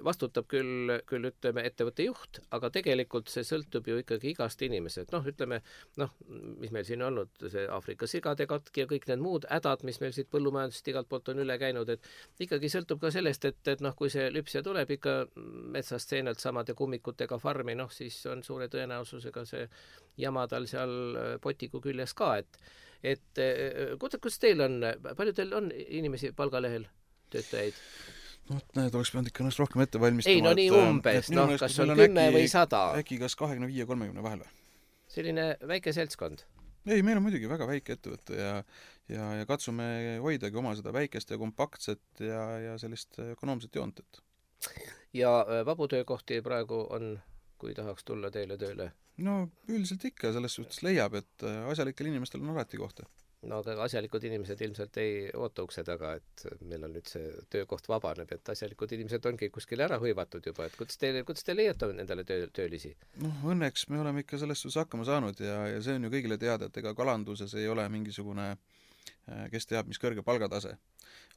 vastutab küll, küll ütleme ettevõtte juht, aga tegelikult see sõltub ju ikkagi igast inimesed. Noh, ütleme, noh, mis meil siin on olnud, see Aafrika sigade katki ja kõik need muud hädad, mis meil siit põllumajandusest igalt poolt on üle käinud, et ikkagi sõltub ka sellest, et, et noh, kui see lüpsja tuleb ikka metsast seenelt samade kummikutega farmi, noh, siis on suure tõenäosusega see jama tal seal potiku küljes ka, et et kuidas teil on, palju teil on inimesi palgalehel, töötajaid? No, need oleks pidanud ikka ennast rohkem ette valmistama. Ei, no nii umbes, noh, kas on kümme või sada? Äkki kas kahekümne viie kolmekümne vahel või? Selline väike seltskond? Ei, meil on muidugi väga väike ettevõte ja, ja, ja katsume hoidagi oma seda väikest ja kompaktset ja, ja sellist ökonoomset joontet. Ja vabu töökohti praegu on, kui tahaks tulla teile tööle? No üldiselt ikka, selles suhtes leiab, et asjalikel inimestel on alati kohta. No aga asjalikud inimesed ilmselt ei oota ukse taga, et meil on nüüd see töökoht vabaneb, et asjalikud inimesed ongi kuskil ära hõivatud juba, et kuidas te, kuidas te leiate endale töö, töölisi? Noh, õnneks me oleme ikka selles suhtes hakkama saanud ja, ja see on ju kõigile teada, et ega kalanduses ei ole mingisugune, kes teab, mis kõrge palgatase.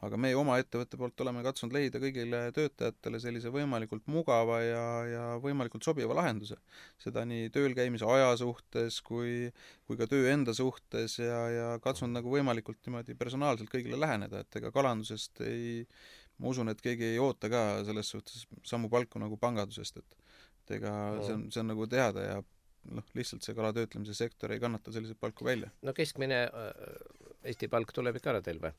Aga meie oma ettevõtte poolt oleme katsunud leida kõigile töötajatele sellise võimalikult mugava ja, ja võimalikult sobiva lahenduse. Seda nii tööl käimise aja suhtes kui, kui ka töö enda suhtes ja, ja katsunud nagu võimalikult niimoodi personaalselt kõigile läheneda, et ega kalandusest ei, ma usun, et keegi ei oota ka selles suhtes samu palku nagu pangandusest, et, et ega see on, see on nagu teada ja noh, lihtsalt see kalatöötlemise sektor ei kannata selliseid palku välja. No keskmine Eesti palk tuleb ikka ära teil või?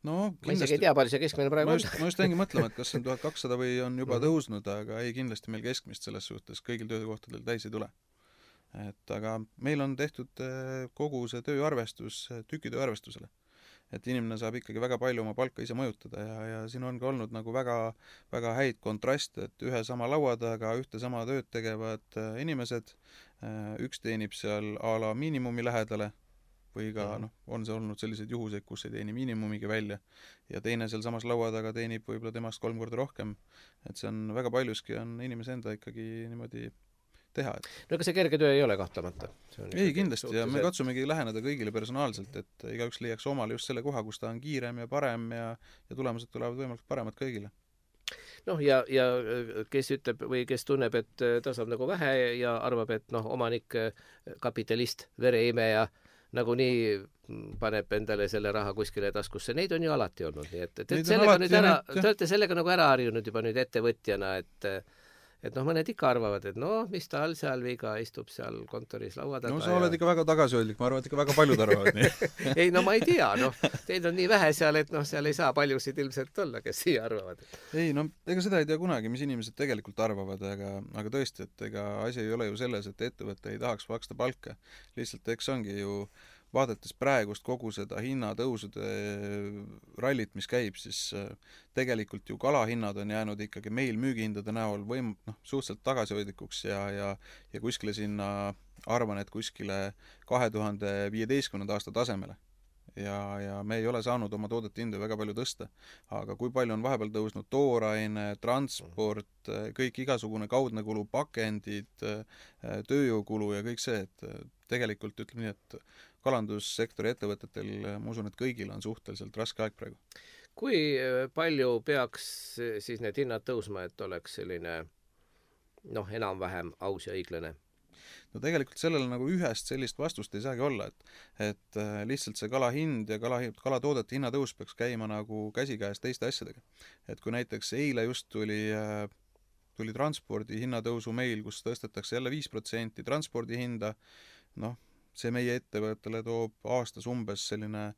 No, kindlasti, ma isegi ei tea, palju see keskmine praegu ma just, on. Ma just hängi mõtlema, et kas see on tuhat kakssada või on juba tõusnud, aga ei, kindlasti meil keskmist selles suhtes kõigil töökohtadel täis ei tule. Et aga meil on tehtud kogu see tööarvestus tükitöö arvestusele. Et inimene saab ikkagi väga palju oma palka ise mõjutada ja, ja siin on ka olnud nagu väga, väga häid kontraste, et ühe sama laua taga ühte sama tööd tegevad inimesed, üks teenib seal a la miinimumi lähedale, või ka noh, on see olnud selliseid juhuseid, kus ei teeni miinimumigi välja ja teine seal samas laua taga teenib võib-olla temast kolm korda rohkem, et see on väga paljuski on inimese enda ikkagi niimoodi teha. Et... no ega see kerge töö ei ole kahtlemata? Ei, kindlasti ja me katsumegi läheneda kõigile personaalselt, et igaüks leiaks omale just selle koha, kus ta on kiirem ja parem ja, ja tulemused tulevad võimalikult paremad kõigile. Noh, ja, ja kes ütleb või kes tunneb, et ta saab nagu vähe ja arvab, et noh, omanik, kapitalist, vereimeja nagunii paneb endale selle raha kuskile taskusse, neid on ju alati olnud, nii et, et, et sellega nüüd ära, te olete sellega nagu ära harjunud juba nüüd ettevõtjana, et et noh, mõned ikka arvavad, et noh, mis tal seal viga, istub seal kontoris laua taga. No sa oled ja... ikka väga tagasihoidlik, ma arvan, et ikka väga paljud arvavad nii. Ei, no ma ei tea, noh, teid on nii vähe seal, et noh, seal ei saa paljusid ilmselt olla, kes siia arvavad. Ei, no ega seda ei tea kunagi, mis inimesed tegelikult arvavad, aga, aga tõesti, et ega asi ei ole ju selles, et ettevõte ei tahaks maksta palka. Lihtsalt eks ongi ju vaadates praegust kogu seda hinnatõusude rallit, mis käib, siis tegelikult ju kalahinnad on jäänud ikkagi meil müügihindade näol võim, noh, suhteliselt tagasihoidlikuks ja, ja, ja kuskile sinna, arvan, et kuskile kahe tuhande viieteistkümnenda aasta tasemele. Ja, ja me ei ole saanud oma toodete hindu väga palju tõsta. Aga kui palju on vahepeal tõusnud tooraine, transport, kõik igasugune kaudne kulu, pakendid, tööjõukulu ja kõik see, et tegelikult ütleme nii, et kalandussektori ettevõtetel, ma usun, et kõigil on suhteliselt raske aeg praegu. Kui palju peaks siis need hinnad tõusma, et oleks selline noh, enam-vähem aus ja õiglane? No tegelikult sellele nagu ühest sellist vastust ei saagi olla, et, et lihtsalt see kala hind ja kala, kalatoodete hinnatõus peaks käima nagu käsikäes teiste asjadega. Et kui näiteks eile just tuli, tuli transpordi hinnatõusu meil, kus tõstetakse jälle viis protsenti transpordi hinda, noh, see meie ettevõttele toob aastas umbes selline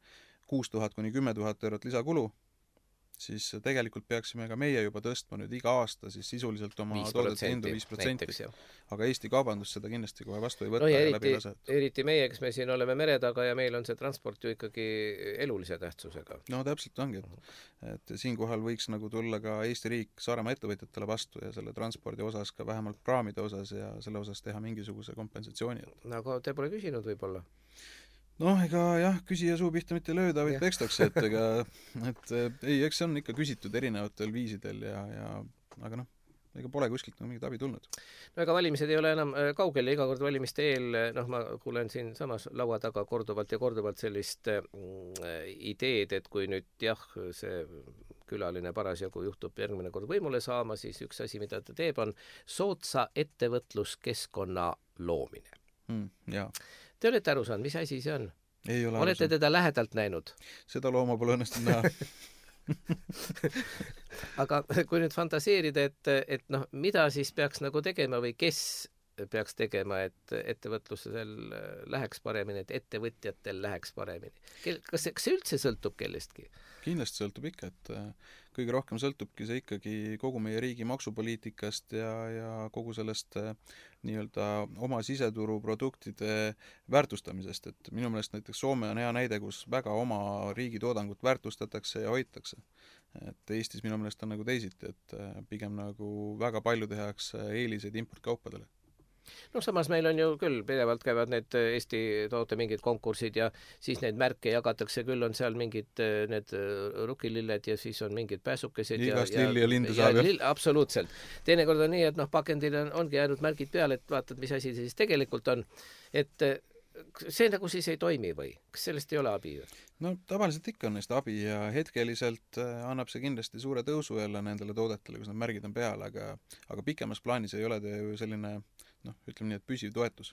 kuus tuhat kuni kümme tuhat eurot lisakulu, siis tegelikult peaksime ka meie juba tõstma nüüd iga aasta siis sisuliselt oma toodete hindu viis protsenti. Aga Eesti kaubandus seda kindlasti kohe vastu ei võtta no ja ja eriti, läbi lase. Eriti meie, kes me siin oleme mere taga ja meil on see transport ju ikkagi elulise tähtsusega. No täpselt ongi, et, et siinkohal võiks nagu tulla ka Eesti riik Saaremaa ettevõtjatele vastu ja selle transpordi osas ka vähemalt praamide osas ja selle osas teha mingisuguse kompensatsiooni. Aga te pole küsinud võib-olla? Noh, ega jah, küsija suu pihta mitte lööda, vaid pekstakse, et ega, et ei, eks see on ikka küsitud erinevatel viisidel ja, ja aga noh, ega pole kuskilt nagu mingit abi tulnud. No ega valimised ei ole enam kaugel ja iga kord valimiste eel, noh, ma kuulen siin samas laua taga korduvalt ja korduvalt sellist mm, ideed, et kui nüüd jah, see külaline parasjagu juhtub järgmine kord võimule saama, siis üks asi, mida ta teeb, on soodsa ettevõtluskeskkonna loomine. Mm, jaa. Te olete aru saanud, mis asi see on? Ei ole olete teda lähedalt näinud? Seda looma pole õnnestunud näha. Aga kui nüüd fantaseerida, et, et noh, mida siis peaks nagu tegema või kes peaks tegema, et ettevõtlusel läheks paremini, et ettevõtjatel läheks paremini? Kas see, kas see üldse sõltub kellestki? Kindlasti sõltub ikka, et kõige rohkem sõltubki see ikkagi kogu meie riigi maksupoliitikast ja, ja kogu sellest nii-öelda oma siseturu produktide väärtustamisest, et minu meelest näiteks Soome on hea näide, kus väga oma riigi toodangut väärtustatakse ja hoitakse. Et Eestis minu meelest on nagu teisiti, et pigem nagu väga palju tehakse eeliseid importkaupadele. No samas meil on ju küll, pidevalt käivad need Eesti toote mingid konkursid ja siis neid märke jagatakse, küll on seal mingid need rukililled ja siis on mingid pääsukesed. Igast ja, lilli ja linde saab. Lill, absoluutselt. Teinekord on nii, et noh, pakendil on, ongi jäänud märgid peale, et vaatad, mis asi see siis tegelikult on. Et see nagu siis ei toimi või? Kas sellest ei ole abi? No tavaliselt ikka on neist abi ja hetkeliselt annab see kindlasti suure tõusu jälle nendele toodetele, kus need märgid on peal, aga, aga pikemas plaanis ei ole ta ju selline noh, ütleme nii, et püsiv toetus.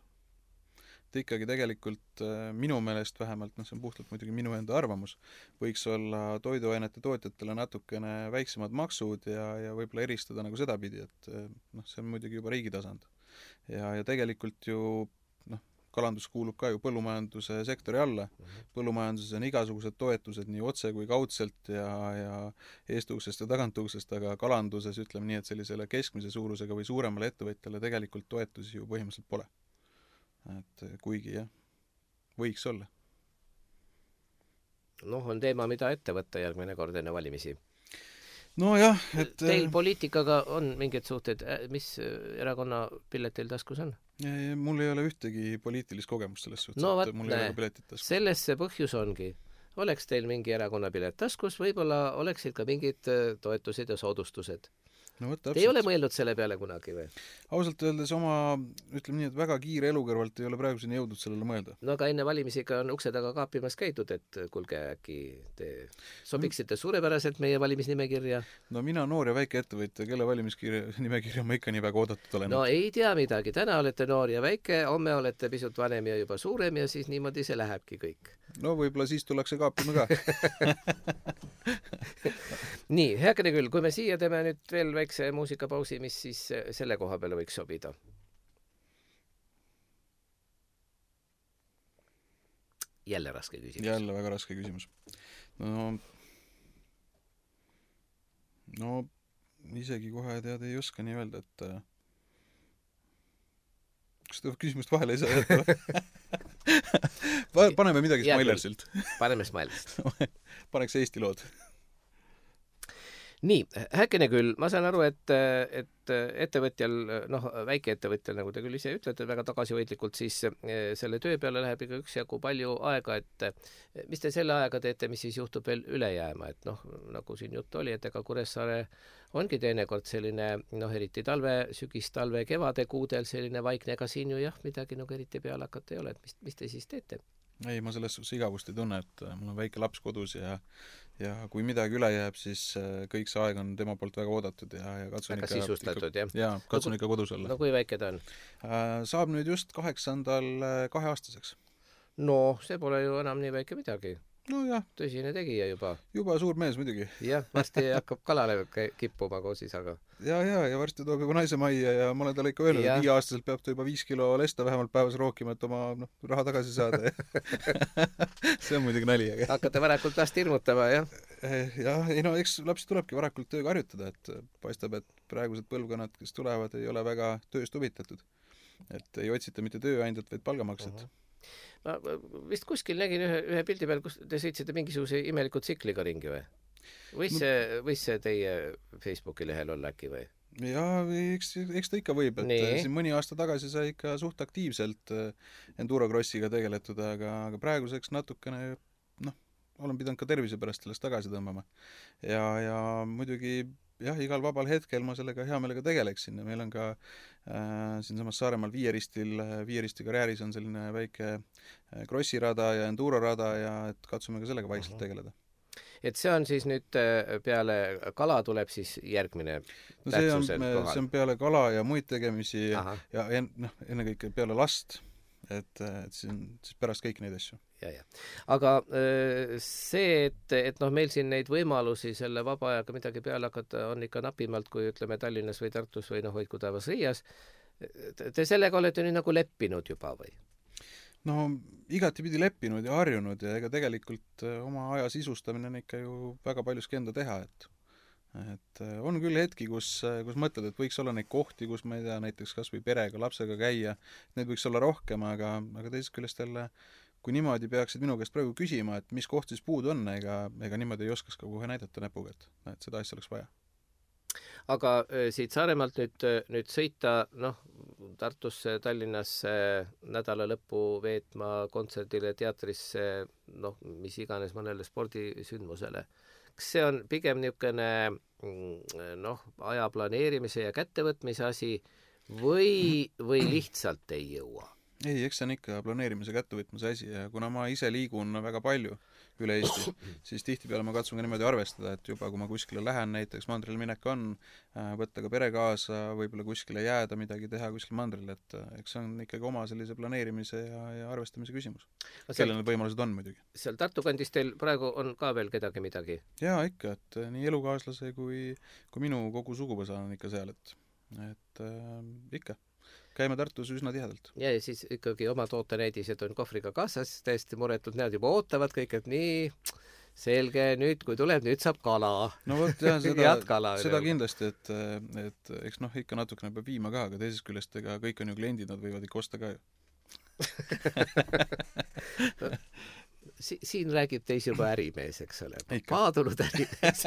Et ikkagi tegelikult minu meelest vähemalt, noh see on puhtalt muidugi minu enda arvamus, võiks olla toiduainete tootjatele natukene väiksemad maksud ja, ja võib-olla eristada nagu sedapidi, et noh, see on muidugi juba riigi tasand. Ja, ja tegelikult ju noh, kalandus kuulub ka ju põllumajanduse sektori alla. Põllumajanduses on igasugused toetused nii otse kui kaudselt ja, ja eestuksest ja tagantuksest, aga kalanduses ütleme nii, et sellisele keskmise suurusega või suuremale ettevõtjale tegelikult toetusi ju põhimõtteliselt pole. Et kuigi jah, võiks olla. Noh, on teema, mida ette võtta järgmine kord enne valimisi. No jah, et teil poliitikaga on mingid suhted, mis erakonna pilet teil taskus on? Mul ei ole ühtegi poliitilist kogemust selles suhtes, no, et mul ei ole piletit taskus. Selles see põhjus ongi. Oleks teil mingi erakonna pilet taskus, võib-olla oleksid ka mingid toetused ja soodustused. No, võt, Te ei ole mõelnud selle peale kunagi või? Ausalt öeldes oma, ütleme nii, et väga kiire elu kõrvalt ei ole praeguseni jõudnud sellele mõelda. No aga enne valimisi ka on ukse taga kaapimas käidud, et kuulge, äkki te sobiksite suurepäraselt meie valimisnimekirja? No mina noor ja väike ettevõtja, kelle valimiskirja nimekirja ma ikka nii väga oodatud olen. No ei tea midagi, täna olete noor ja väike, homme olete pisut vanem ja juba suurem ja siis niimoodi see lähebki kõik. No võib-olla siis tullakse kaapima ka. Nii, heakene küll, kui me siia teeme nüüd veel väikse muusikapausi, mis siis selle koha peale võiks sobida? Jälle raske küsimus. Jälle väga raske küsimus. No, no isegi kohe tead ei oska nii öelda, et kas ta küsimust vahele ei saa jätta? Paneme midagi Smilersilt. Paneme Smilersilt. Paneks Eesti lood. Nii, häkene küll, ma saan aru, et, et ettevõtjal, noh, väikeettevõtjal, nagu te küll ise ütlete, väga tagasihoidlikult, siis selle töö peale läheb ikka üksjagu palju aega, et mis te selle ajaga teete, mis siis juhtub veel üle jääma, et noh, nagu siin jutt oli, et ega Kuressaare ongi teinekord selline, noh, eriti talve, sügis, talve, kevade kuudel selline vaikne, ega siin ju jah, midagi nagu eriti peale hakata ei ole, et mis, mis te siis teete? Ei, ma selles suhtes igavust ei tunne, et mul on väike laps kodus ja, ja kui midagi üle jääb, siis kõik see aeg on tema poolt väga oodatud ja, ja katsun väga ikka, sisustatud, ikka, jah? Jaa, katsun no, ikka kodus olla. No kui väike ta on? Saab nüüd just kaheksandal kaheaastaseks. No, see pole ju enam nii väike midagi. No jah. Tõsine tegija juba. Juba suur mees muidugi. Jah, varsti hakkab kalale kippuma koos isaga. Ja, ja, ja varsti toob juba naise majja ja ma olen talle ikka öelnud, et viieaastaselt peab ta juba viis kilo lesta vähemalt päevas rookima, et oma no, raha tagasi saada. See on muidugi nali. Aga... Hakkate varakult last hirmutama, jah? Jah, ei no eks lapsi tulebki varakult tööga harjutada, et paistab, et praegused põlvkonnad, kes tulevad, ei ole väga tööst huvitatud. Et ei otsita mitte tööandjat, vaid palgamaksed. Uh-huh. Ma vist kuskil nägin ühe, ühe pildi peal, kus te sõitsite mingisuguse imeliku tsikliga ringi või? Võis see, võis see teie Facebooki lehel olla äkki või? Jaa, eks, eks ta ikka võib, et nii. Siin mõni aasta tagasi sai ikka suht aktiivselt endurocrossiga tegeletud, aga, aga praeguseks natukene, noh, olen pidanud ka tervise pärast sellest tagasi tõmbama. Ja, ja muidugi jah, igal vabal hetkel ma sellega hea meelega tegeleksin ja meil on ka äh, siinsamas Saaremaal Viieristil, Viieristi karjääris on selline väike krossirada ja endurorada ja et katsume ka sellega vaikselt tegeleda. Et see on siis nüüd peale kala tuleb siis järgmine no see on, see on peale kala ja muid tegemisi Aha. ja en, noh, ennekõike peale last, et, et siis, siis pärast kõik neid asju. Ja, ja. Aga see, et, et noh, meil siin neid võimalusi selle vaba ajaga midagi peale hakata on ikka napimalt, kui ütleme Tallinnas või Tartus või noh, hoidku taevas Riias. Te sellega olete nüüd nagu leppinud juba või? No igatipidi leppinud ja harjunud ja ega tegelikult oma aja sisustamine on ikka ju väga paljuski enda teha, et et on küll hetki, kus, kus mõtled, et võiks olla neid kohti, kus ma ei tea, näiteks kas või perega, lapsega käia, neid võiks olla rohkem, aga, aga teisest küljest jälle, kui niimoodi peaksid minu käest praegu küsima, et mis koht siis puudu on, ega, ega niimoodi ei oskaks ka kohe näidata näpuga, et, et seda asja oleks vaja. Aga siit Saaremaalt nüüd, nüüd sõita, noh, Tartusse, Tallinnasse nädala lõppu veetma kontserdile, teatrisse, noh, mis iganes mõnele spordisündmusele. Kas see on pigem niisugune, noh, aja planeerimise ja kättevõtmise asi või, või lihtsalt ei jõua? Ei, eks see on ikka planeerimise kättevõtmise asi ja kuna ma ise liigun väga palju üle Eesti, siis tihtipeale ma katsun ka niimoodi arvestada, et juba kui ma kuskile lähen, näiteks mandrile minek on, võtta ka pere kaasa, võib-olla kuskile jääda, midagi teha kuskil mandril, et eks see on ikkagi oma sellise planeerimise ja, ja arvestamise küsimus. Kellel need võimalused on muidugi. Seal Tartu kandis teil praegu on ka veel kedagi midagi? Jaa, ikka, et nii elukaaslase kui, kui minu kogu suguvõsa on ikka seal, et, et äh, ikka. Käime Tartus üsna tihedalt. Ja, ja siis ikkagi oma tootenäidised on kohvriga kaasas, täiesti muretud, need juba ootavad kõik, et nii selge, nüüd kui tuleb, nüüd saab kala. No võt, jah, seda, seda kindlasti, et, et eks noh, ikka natukene peab viima ka, aga teisest küljest, ega kõik on ju kliendid, nad võivad ikka osta ka ju. Si siin räägib teis juba ärimees, eks ole. Paadunud ärimees.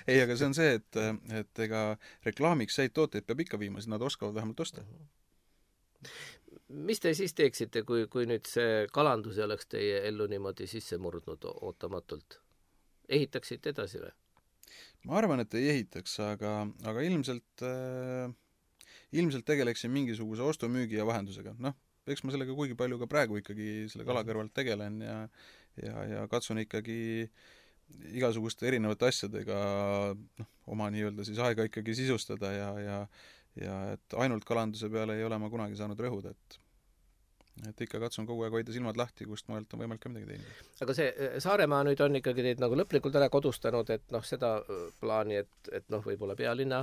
Ei, aga see on see, et, et ega reklaamiks häid tooteid peab ikka viima, siis nad oskavad vähemalt osta. Mis te siis teeksite, kui, kui nüüd see kalandus oleks teie ellu niimoodi sisse murdnud ootamatult? Ehitaksite edasi või? Ma arvan, et ei ehitaks, aga, aga ilmselt, äh, ilmselt tegeleksin mingisuguse ostumüügi ja vahendusega. Noh, eks ma sellega kuigi palju ka praegu ikkagi selle kala kõrvalt tegelen ja, ja, ja katsun ikkagi igasuguste erinevate asjadega noh, oma nii-öelda siis aega ikkagi sisustada ja, ja, ja et ainult kalanduse peale ei ole ma kunagi saanud rõhuda, et et ikka katsun kogu aeg hoida silmad lahti, kust mujalt on võimalik ka midagi teinud. Aga see Saaremaa nüüd on ikkagi teid nagu lõplikult ära kodustanud, et noh, seda plaani, et, et noh, võib-olla pealinna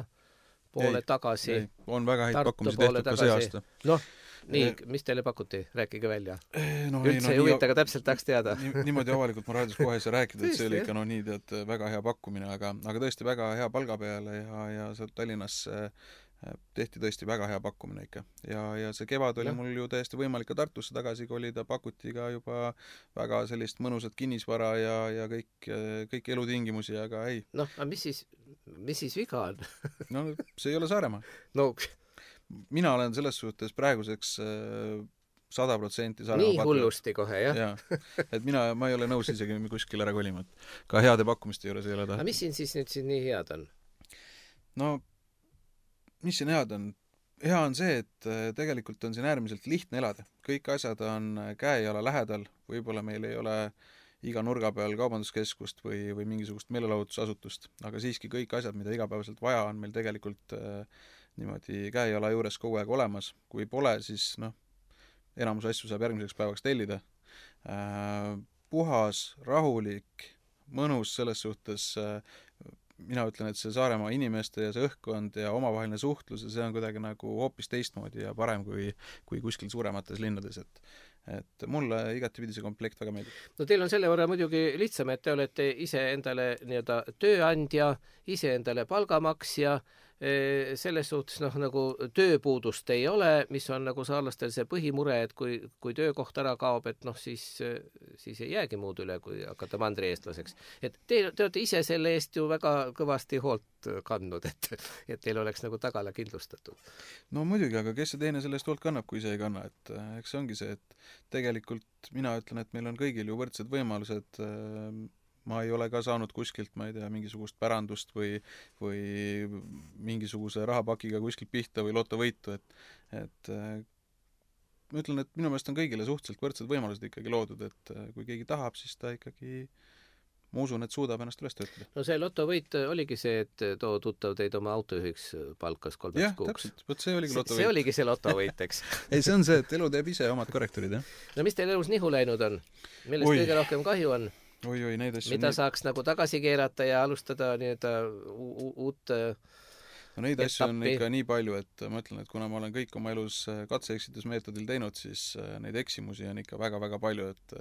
poole ei, tagasi. Ei. On väga häid pakkumisi tehtud ka see aasta. Noh, nii, mis teile pakuti? Rääkige välja. No, üldse ei huvita, aga täpselt tahaks teada. Nii, niimoodi avalikult ma raadios kohe ei saa rääkida, et see oli ikka no nii, tead, väga hea pakkumine, aga, aga tõesti väga hea palga peale ja, ja sealt Tallinnas tehti tõesti väga hea pakkumine ikka. Ja, ja see kevad oli ja. Mul ju täiesti võimalik ka Tartusse tagasi kolida, pakuti ka juba väga sellist mõnusat kinnisvara ja, ja kõik, kõik elutingimusi, aga ei. Noh, aga mis siis, mis siis viga on? No see ei ole Saaremaa. No mina olen selles suhtes praeguseks sada protsenti Saaremaa nii hullusti kohe, jah? Ja, et mina, ma ei ole nõus isegi kuskil ära kolima. Ka heade pakkumiste juures ei ole tahtnud. Aga mis siin siis nüüd siin nii head on? No, mis siin head on? Hea on see, et tegelikult on siin äärmiselt lihtne elada. Kõik asjad on käejala lähedal, võib-olla meil ei ole iga nurga peal kaubanduskeskust või, või mingisugust meelelahutusasutust, aga siiski kõik asjad, mida igapäevaselt vaja on meil tegelikult äh, niimoodi käejala juures kogu aeg olemas. Kui pole, siis noh, enamus asju saab järgmiseks päevaks tellida. Äh, puhas, rahulik, mõnus selles suhtes äh, mina ütlen, et see Saaremaa inimeste ja see õhkkond ja omavaheline suhtlus ja see on kuidagi nagu hoopis teistmoodi ja parem kui, kui kuskil suuremates linnades, et et mulle igatipidi see komplekt väga meeldib. No teil on selle võrra muidugi lihtsam, et te olete ise endale nii-öelda tööandja, ise endale palgamaksja, selles suhtes noh, nagu tööpuudust ei ole, mis on nagu saarlastel see põhimure, et kui, kui töökoht ära kaob, et noh, siis, siis ei jäägi muud üle, kui hakata mandri eestlaseks. Et te, te olete ise selle eest ju väga kõvasti hoolt kandnud, et, et teil oleks nagu tagala kindlustatud. No muidugi, aga kes see teine selle eest hoolt kannab, kui ise ei kanna, et eks see ongi see, et tegelikult mina ütlen, et meil on kõigil ju võrdsed võimalused ma ei ole ka saanud kuskilt, ma ei tea, mingisugust pärandust või, või mingisuguse rahapakiga kuskilt pihta või lotovõitu, et, et ma ütlen, et minu meelest on kõigile suhteliselt võrdsed võimalused ikkagi loodud, et kui keegi tahab, siis ta ikkagi, ma usun, et suudab ennast üles töötada. No see lotovõit oligi see, et too tuttav teid oma autojuhiks palkas kolmeks jah, kuuks. Täpselt, võt see oligi lotovõit. See oligi see lotovõit, eks. ei, see on see, et elu teeb ise omad korrektorid, jah. No mis teil elus nihu läinud on? Millest oi. kõige rohkem kahju on? Oi, oi, neid asju. Mida nii... saaks nagu tagasi keerata ja alustada nii-öelda uut no neid etappi. Asju on ikka nii palju, et ma ütlen, et kuna ma olen kõik oma elus katse-eksitusmeetodil teinud, siis neid eksimusi on ikka väga-väga palju, et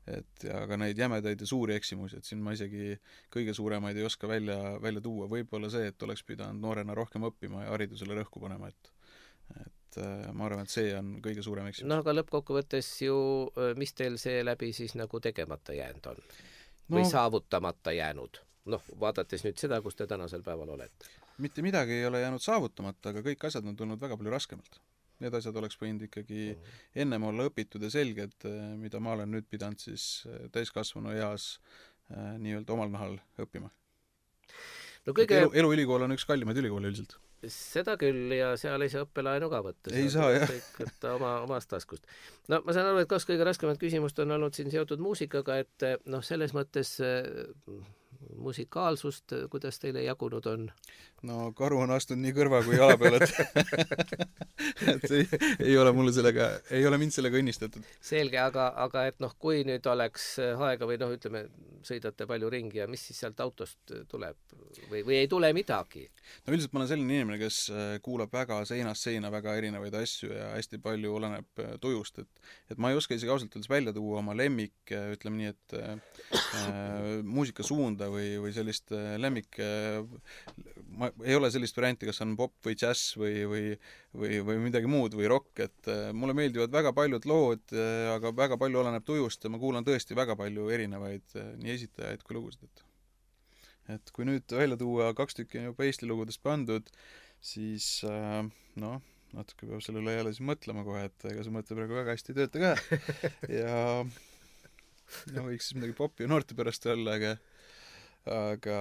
et ja ka neid jämedaid ja suuri eksimusi, et siin ma isegi kõige suuremaid ei oska välja, välja tuua. Võib-olla see, et oleks pidanud noorena rohkem õppima ja haridusele rõhku panema, et et ma arvan, et see on kõige suurem eksimus. No aga lõppkokkuvõttes ju, mis teil see läbi siis nagu tegemata jäänud on? Või no, saavutamata jäänud? Noh, vaadates nüüd seda, kus te tänasel päeval olete. Mitte midagi ei ole jäänud saavutamata, aga kõik asjad on tulnud väga palju raskemalt. Need asjad oleks võinud ikkagi ennem olla õpitud ja selged, mida ma olen nüüd pidanud siis täiskasvanu eas nii-öelda omal nahal õppima. No kõige... elu, eluülikool on üks kallimaid ülikoole üldiselt. Seda küll, ja seal ei saa õppelaenu ka võtta. Ei saa, jah. Võtta oma, omast taskust. No ma saan aru, et kaks kõige raskemat küsimust on olnud siin seotud muusikaga, et noh, selles mõttes musikaalsust, kuidas teile jagunud on? No karu on astunud nii kõrva kui jala peale, et, et ei, ei ole mulle sellega, ei ole mind sellega õnnistatud. Selge, aga, aga et noh, kui nüüd oleks aega või noh, ütleme, sõidate palju ringi ja mis siis sealt autost tuleb või, või ei tule midagi? No üldiselt ma olen selline inimene, kes kuulab väga seinast seina väga erinevaid asju ja hästi palju oleneb tujust, et, et ma ei oska isegi ausalt öeldes välja tuua oma lemmik, ütleme nii, et äh, muusikasuunda või, või sellist lemmik, ma ei ole sellist varianti, kas on pop või džäss või, või, või, või midagi muud või rock, et mulle meeldivad väga paljud lood, aga väga palju oleneb tujust ja ma kuulan tõesti väga palju erinevaid nii esitajaid kui lugusid, et et kui nüüd välja tuua kaks tükki juba Eesti lugudest pandud, siis noh, natuke peab selle üle jälle siis mõtlema kohe, et ega see mõte praegu väga hästi ei tööta ka ja no võiks siis midagi popi ja noorte pärast olla, aga aga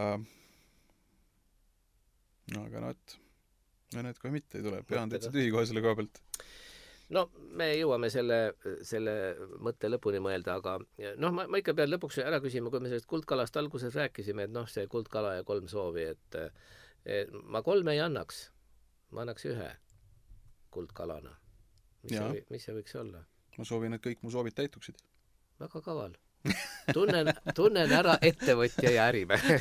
no aga no et no need kohe mitte ei tule, pean täitsa tühi kohe selle koha pealt. No me jõuame selle, selle mõtte lõpuni mõelda, aga noh, ma, ma ikka pean lõpuks ära küsima, kui me sellest kuldkalast alguses rääkisime, et noh, see kuldkala ja kolm soovi, et, et ma kolme ei annaks, ma annaks ühe kuldkalana. Mis, see, mis see võiks olla? Ma soovin, et kõik mu soovid täituksid. Väga kaval. Tunnen, tunnen ära ettevõtja ja ärimehe.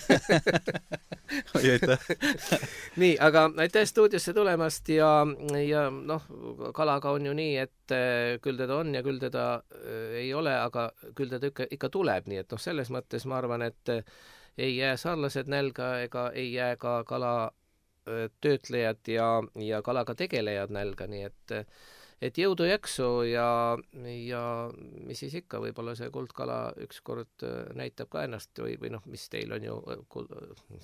Oi, aitäh. Nii, aga aitäh stuudiosse tulemast ja, ja noh, kalaga on ju nii, et küll teda on ja küll teda ei ole, aga küll teda ikka, ikka tuleb, nii et noh, selles mõttes ma arvan, et ei jää saarlased nälga ega ei jää ka kala töötlejad ja, ja kalaga tegelejad nälga, nii et et jõudu jaksu ja, ja mis siis ikka, võib-olla see kuldkala ükskord näitab ka ennast või, või noh, mis teil on ju,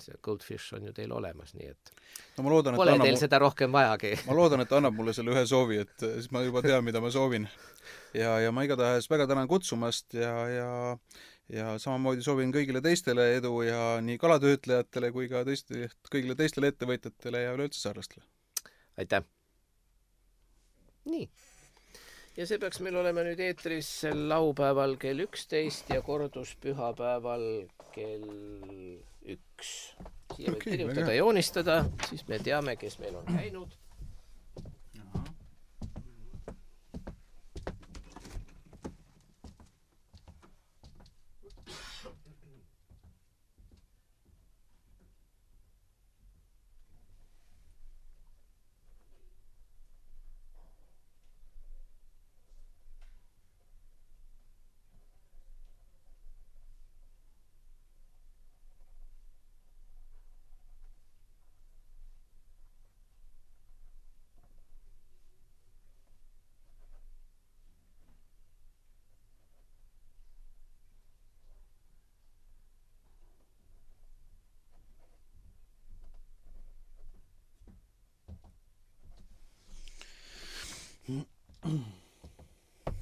see goldfish on ju teil olemas, nii et no ma loodan, et pole teil mul... seda rohkem vajagi. Ma loodan, et annab mulle selle ühe soovi, et siis ma juba tean, mida ma soovin. Ja, ja ma igatahes väga tänan kutsumast ja, ja, ja samamoodi soovin kõigile teistele edu ja nii kalatöötlejatele kui ka teiste, kõigile teistele ettevõtjatele ja üleüldse saarlastele. Aitäh! Nii. Ja see peaks meil olema nüüd eetris laupäeval kell üksteist ja kordus pühapäeval kell üks. Siia võib kirjutada ja joonistada, siis me teame, kes meil on käinud.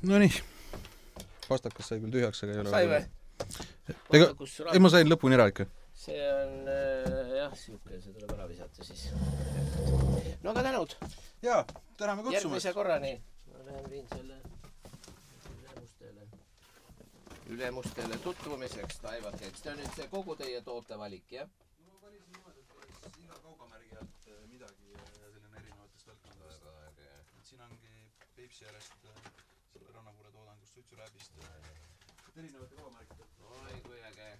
No nii, pastakas sai küll tühjaks, aga ei ole sai või? ega, ei ma sain lõpuni ära ikka. See on äh, jah, siuke, see tuleb ära visata siis. No aga tänud! Jaa, täname kutsumast! Järgmise korrani! Ma lähen viin selle ülemustele, ülemustele tutvumiseks taivateks. See on nüüd see kogu teie tootevalik, jah? No ma valisin niimoodi, et oleks iga kaubamärgi alt midagi ja selline erinevatest valdkondadest. Et siin ongi Peipsi järjest selle rannapuure toodangust, suitsurääbist, et erinevate kaubamärgid. Oi, kui äge!